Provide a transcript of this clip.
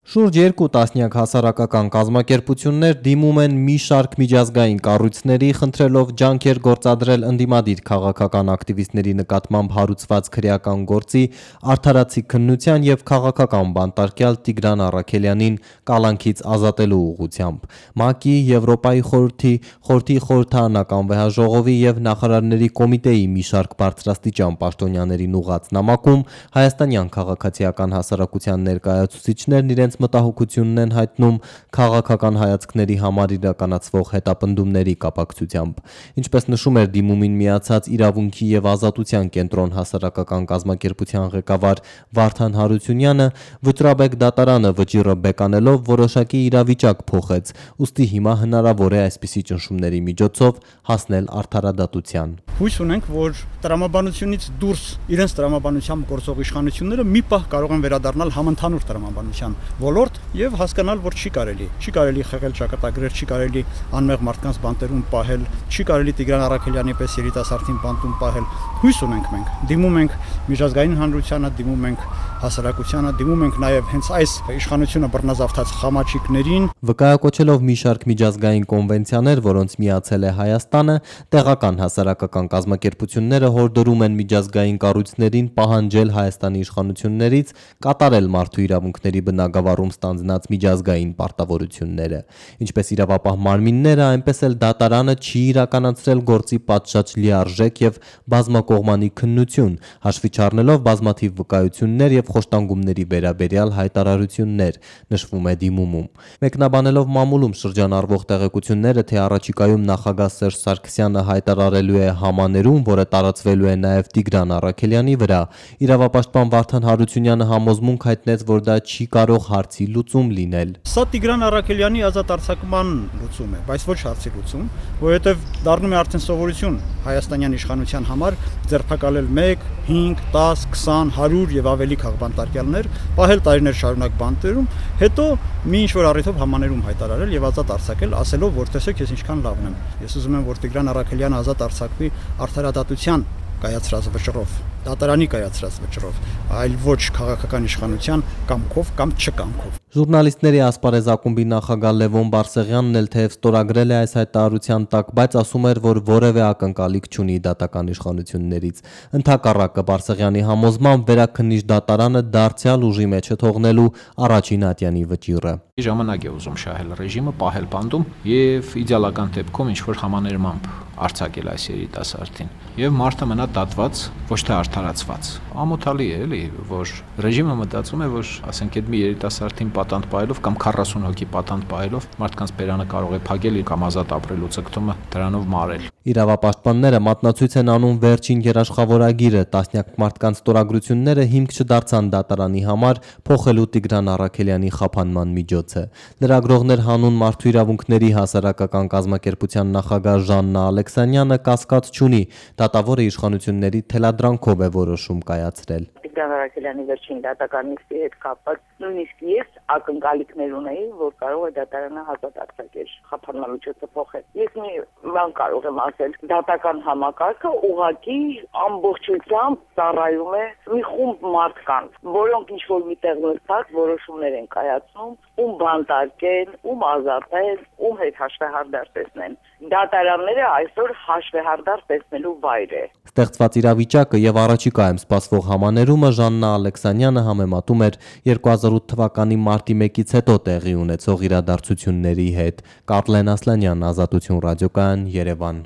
Շուրջ 2 տասնյակ հասարակական կազմակերպություններ դիմում են մի շարք միջազգային կառույցների, խնդրելով ջանքեր գործադրել ընդդիմադիր քաղաքական ակտիվիստների նկատմամբ հարուցված քրեական գործի, արդարացի քննության եւ քաղաքական բանտարկյալ Տիգրան Առաքելյանին կալանքից ազատելու ուղղությամբ։ ՄԱԿ-ի, Եվրոպայի խորհրդի, խորհրդարանական վեհաժողովի եւ նախարարների կոմիտեի մի շարք բարձրաստիճան պաշտոնյաներին ուղղված նամակում հայաստանյան քաղաքացիական հասարակության ներկայացուցիչներն իրենց մտահոգությունն են հայտնում քաղաքական հայացքների համար իրականացվող հետապնդումների կապակցությամբ։ Ինչպես նշում էր դիմումին միացած Իրավունքի եւ ազատության կենտրոն հասարակական կազմակերպության ղեկավար Վարդան Հարությունյանը, Վճռաբեկ դատարանը վճիռը բեկանելով որոշակի իրավիճակ փոխեց, ուստի հիմա հնարավոր է այսպիսի ճնշումների միջոցով հասնել արդարադատության։ Հույս ունենք, որ տրամաբանությունից դուրս իրենց տրամաբանությամբ գործող իշխանությունները մի պահ կարող են վերադառնալ համընդհանուր տրամաբանության ոլորտ եւ հասկանալ, որ չի կարելի խեղել ճակատագրեր, չի կարելի անմեղ մարդկանց բանտերում պահել, չի կարելի Տիգրան Առաքելյանի պես երիտասարդին բանտում պահել։ Հույս ունենք մենք, դիմում ենք միջազգային հանրությանը, դիմում ենք հասարակությանը, դիմում ենք նաեւ հենց այս իշխանությունը բռնազավթած խամաչիկներին։ Վկայակոչելով մի շարք միջազգային կոնվենցիաներ, որոնց միացել է Հայաստանը, տեղական հասարակական կազմակերպությունները հորդորում են միջազգային կառույցներին պահանջել Հայաստանի իշխանություններից կատարել մարդու իրավունքների բնագավառում ստանձնած միջազգային պարտավորությունները։ Ինչպես իրավապահ մարմինները, այնպես էլ դատարանը չի իրականացրել գործի պատշաճ լիարժեք եւ բազմակողմանի քննություն, հաշվի չառնելով բազմաթիվ վկայություններ եւ խոշտանգումների վերաբերյալ հայտարարություններ, նշվում է դիմումում։ Մեկնաբանելով մամուլում շրջանառվող տեղեկությունները, թե առաջիկայում նախագահ Սերժ Սարգսյանը հայտարարելու է համաներում, որը տարածվելու է նաեւ Տիգրան Առաքելյանի վրա, իրավապաշտպան Վարդան Հարությունյանը համոզմունք հայտնեց, որ դա չի կարող հարցի լուծում լինել։ Սա Տիգրան Առաքելյանի ազատ արձակման լուծում է, բայց ոչ հարցի լուծում, որովհետև դառնում է արդեն սովորություն հայաստանյան իշխանության համար ձերբակալել 1, 5, 10, 20, 100 եւ ավելի քաղբանտարկյալներ, պահել տարիներ շարունակ բանտերում, հետո մի ինչ-որ առիթով համաներում հայտարարել եւ ազատ արձակել, ասելով, որ տեսեք, ես ինչքան լավն եմ։ Ես ուզում եմ, որ Տիգրան Առաքելյանը ազատ արձակվի արդարադատության կայացրած վճռով, դատարանի կայացրած վճռով, այլ ոչ քաղաքական իշխանության կամքով կամ չկամքով։ Ժուրնալիստների ասպարեզ ակումբի նախագահ Լևոն Բարսեղյանն էլ թեև ստորագրել է այս հայտարարության տակ, բայց ասում էր, որ որևէ ակնկալիք չունի դատական իշխանություններից։ Ընդհակառակը Բարսեղյանի համոզմամբ վերաքննիչ դատարանը դարձյալ ուժի մեջ է թողնելու առաջին ատյանի վճիռը։ Ժամանակ է ուզում շահել ռեժիմը, պահել բանդում եւ իդեալական դեպքում ինչ-որ համաներմամբ արձակել այս երիտասարդին եւ մարդը մնա դատված, ոչ թե արդարացված։ Ամոթալի է, էլի, որ ռեժիմը մտածում է, որ ասենք այդ մի երիտասարդին պատանդ պահելով կամ 40 հոգի պատանդ պահելով մարդկանց բերանը կարող է փակել կամ ազատ ապրելու ցկտումը դրանով մարել։ Իրավապաշտպանները մատնացույց են անում վերջին երաշխավորագիրը, տասնյակ մարդկանց ստորագրությունները հիմք չդարձան դատարանի համար փոխելու Տիգրան Առաքելյանի խափանման միջոցը։ Լրագրողներ հանուն մարդու իրավունքների հասարակական կազմակերպության նախագահ Ժաննա Ալեքսանյանը կասկած չունի, դատավորը իշխանությունների թելադրանքով է որոշում կայացրել։ Տիգրան Առաքելյանի վերջին դատական նիստի հետ կապված նույնիսկ ես ակնկալիքներ ունեի, որ կարող է դատարանը ազատ արձակել, խափանման միջոցը փոխել։ Ես մի բան կարող եմ ասել, դատական համակարգը ուղղակի ամբողջությամբ ծառայում է մի խումբ մարդկանց, որոնք ինչ-որ միտեղ նստած որոշումներ են կայացնում, ում բանտարկեն, ում ազատեն, ում հետ հաշվեհարդար տեսնեն։ Դատարանները այսօր հաշվեհարդար տեսնելու վայր է։ Ստեղծված իրավիճակը եւ առաջիկայում սպասվող համաներումը Ժաննա Ալեքսանյանը համեմատում էր 2008 թվականի մարտի 1-ից հետո տեղի ունեցող իրադարձությունների հետ։ Կարլեն Ասլանյան, Ազատություն ռադիոկայան, Երևան։